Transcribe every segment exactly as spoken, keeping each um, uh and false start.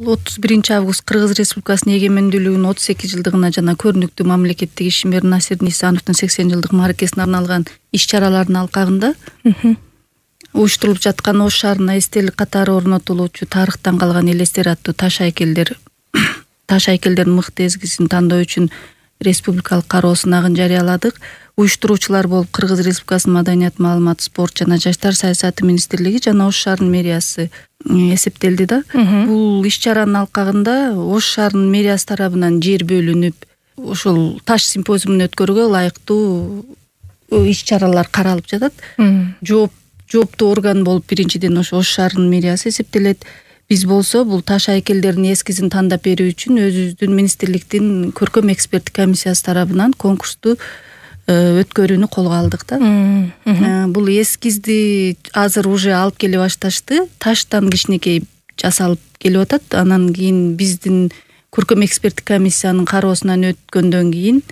отуз биринчи август Кыргыз Республикасынын эгемендүүлүгүнүн отуз эки жылдыгына жана көрүнүктүү мамлекеттик ишмер Насир Нисановдун сексен жылдык мааракесине арналган иш-чаралардын алкагында уюштурулуп жаткан Ош шаарына эстелик катары орнотулуучу тарыхтан калган элестер аттуу таш айкелдер таш айкелдердин мыкты эскизин тандоо үчүн республикалык кароо сынагын жарыяладык. Уюштуруучулар болуп Кыргыз Республикасынын Маданият, маалымат, спорт жана жаштар саясаты министрлиги жана Ош шаарынын мэриясы эсептелди да. Бул иш-чаранын алкагында Ош шаарынын мэриясы тарабынан жер бөлүнүп, ошол таш симпозиумун өткөрүүгө ылайыктуу иш-чаралар каралып жатат. Жооп жооптуу орган болуп биринчиден ошо Ош шаарынын мэриясы эсептелет. Биз болсо бул таш айкелдердин эскизин тандап берүү үчүн өзүбүздүн министрликтин көркөм эксперттик комиссиясы тарабынан конкурсту өткөрүүнү колго алдык да. Бул эскизди азыр уже алып келе башташты. Таштан кичинекей жасалып келип атат. Анан кийин биздин көркөм эксперттик комиссиянын кароосунан өткөндөн кийин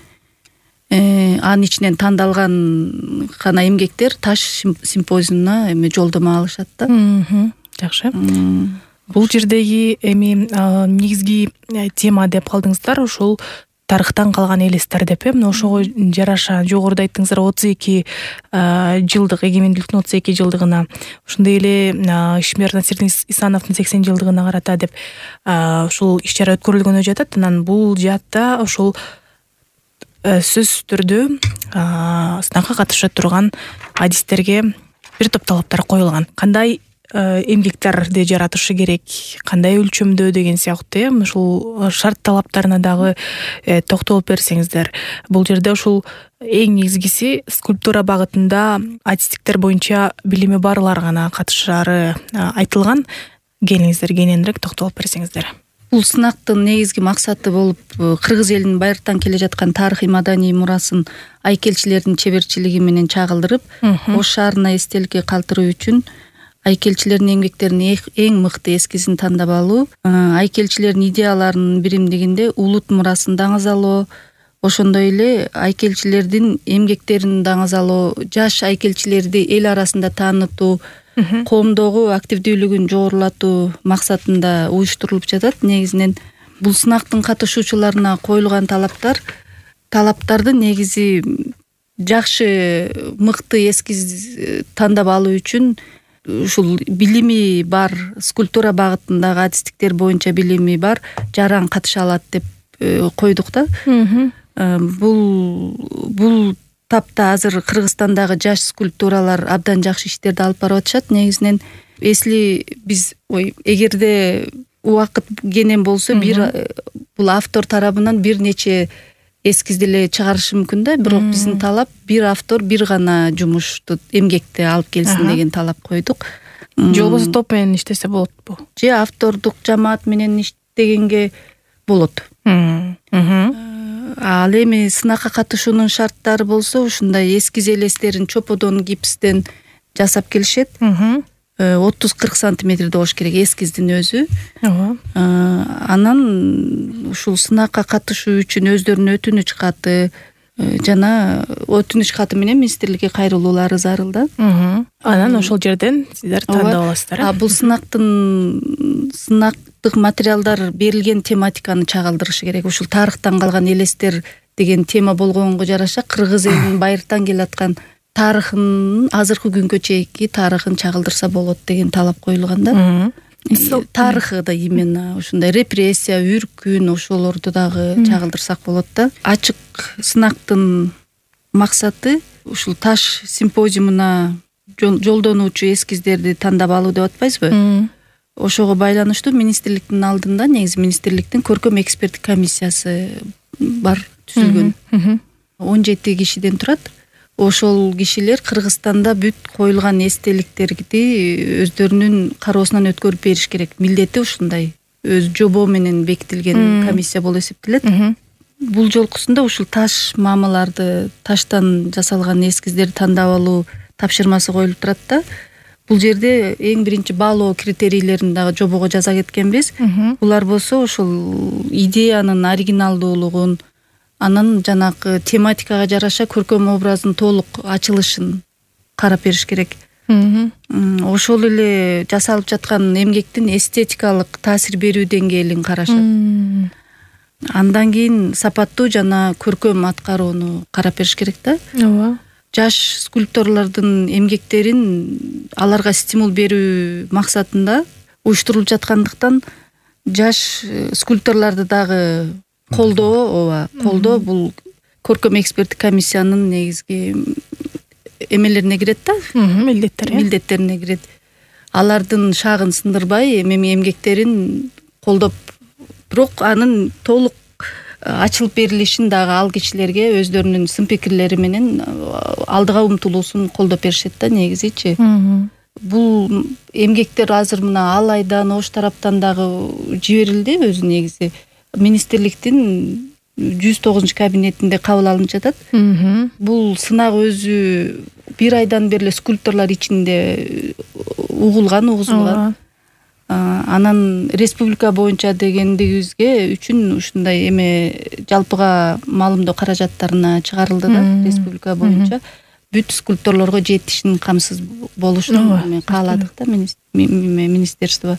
анын ичинен тандалган гана эмгектер таш симпозиумуна эме жолдомо алышат да. Жакшы. Бул жердеги эми негизги тема деп калдыңыздар, ошол тарыхтан калган элестер деп э. Мына ошого жараша жогоруда айттыңыздар отуз эки жылдык эгемендүүлүктүн отуз эки жылдыгына, ошондой эле ишмер Насир Нисановдун сексен жылдыгына карата деп ушул иш-чара өткөрүлгөнү жатат. Анан бул жаатта ошол сөзсүз түрдө сынакка катыша турган адистерге бир топ талаптар коюлган. Кандай эмгектерди жаратышы керек, кандай өлчөмдө деген сыяктуу э. Ушул шарт талаптарына дагы токтолуп берсеңиздер. Бул жерде ушул эң негизгиси скульптура багытында адистиктер боюнча билими барлар гана катышаары айтылган. Келиңиздер, кененирээк токтолуп берсеңиздер. Бул сынактын негизги максаты болуп кыргыз элинин байыртан келе жаткан тарыхый маданий мурасын айкелчилердин чеберчилиги менен чагылдырып, Ош шаарына эстеликке калтыруу үчүн айкелчилердин эмгектеринин эң мыкты эскизин тандап алуу, айкелчилердин идеяларынын биримдигинде улут мурасын даңазалоо, ошондой эле айкелчилердин эмгектерин даңазалоо, жаш айкелчилерди эл арасында таанытуу, коомдогу активдүүлүгүн жогорулатуу максатында уюштурулуп жатат. Негизинен бул сынактын катышуучуларына коюлган талаптар талаптарды негизи жакшы мыкты эскиз тандап алуу үчүн ушул билими бар, скульптура багытындагы адистиктер боюнча билими бар жаран катыша алат деп койдук да. Бул бул тапта азыр Кыргызстандагы жаш скульптуралар абдан жакшы иштерди алып барып атышат. Негизинен эсли биз ой эгерде убакыт кенен болсо бир бул автор тарабынан бир нече эскизди эле чыгарышы мүмкүн да. Бирок биздин талап бир автор бир гана жумушту эмгекти алып келсин деген талап койдук. Же болбосо топ менен иштесе болотпу? Же автордук жамаат менен иштегенге болот. Ал эми сынакка катышуунун шарттары болсо ушундай эскиз элестерин чоподон, гипстен жасап келишет. отуз кырк сантиметрде болуш керек эскиздин өзү. Анан ушул сынакка катышуу үчүн өздөрүнүн өтүнүч каты жана өтүнүч каты менен министрликке кайрылуулары зарыл да. Анан ошол жерден сиздер тандап аласыздар. А бул сынактын сынактык материалдар берилген тематиканы чагылдырышы керек. Ушул тарыхтан калган элестер деген тема болгонго жараша кыргыз элинин байыртан келаткан тарыхын, азыркы күнгө чейинки тарыхын чагылдырса болот деген талап коюлган да. Тарыхы да именно ушундай репрессия, үркүн ошолорду дагы чагылдырсак болот да. Ачык сынактын максаты ушул таш симпозиумуна жолдонуучу эскиздерди тандап алуу деп атпайсызбы? Ошого байланыштуу министрликтин алдында негизи министрликтин көркөм эксперттик комиссиясы бар, түзүлгөн. он жети кишиден турат. Ошол кишилер Кыргызстанда бүт коюлган эстеликтерди өздөрүнүн кароосунан өткөрүп бериш керек. Милдети ушундай. Өз жобо менен бекитилген комиссия болуп эсептелет. Бул жолкусунда ушул таш мамыларды, таштан жасалган эскиздерди тандап алуу тапшырмасы коюлуп турат да. Бул жерде эң биринчи баалоо критерийлерин дагы жобого жаза кеткенбиз. Булар болсо ошол идеянын оригиналдуулугун, анан жанагы тематикага жараша көркөм образдын толук ачылышын карап бериш керек. ошол эле жасалып жаткан эмгектин эстетикалык таасир берүү деңгээлин карашат. Андан кийин сапаттуу жана көркөм аткарууну карап бериш керек да. Ооба. Жаш скульпторлордун эмгектерин аларга стимул берүү максатында уюштурулуп жаткандыктан жаш скульпторлорду дагы колдоо, ооба, колдоо бул көркөм эксперттик комиссиянын негизги эмелерине кирет да. Милдеттери. Милдеттерине кирет. Алардын шагын сындырбай эми эмгектерин колдоп, бирок анын толук ачылып берилишин дагы ал кишилерге өздөрүнүн сын пикирлери менен алдыга умтулуусун колдоп беришет да негизичи. Бул эмгектер азыр мына ал айдан Ош тараптан дагы жиберилди, өзү негизи министрликтин жүз тогузунчу кабинетинде кабыл алынып жатат. Бул сынак өзү бир айдан бери эле скульпторлор ичинде угулган, угузулган. Анан республика боюнча дегендигибизге үчүн ушундай эме жалпыга маалымдоо каражаттарына чыгарылды да, республика боюнча бүт скульпторлорго жетишин камсыз болушун кааладык да министерство.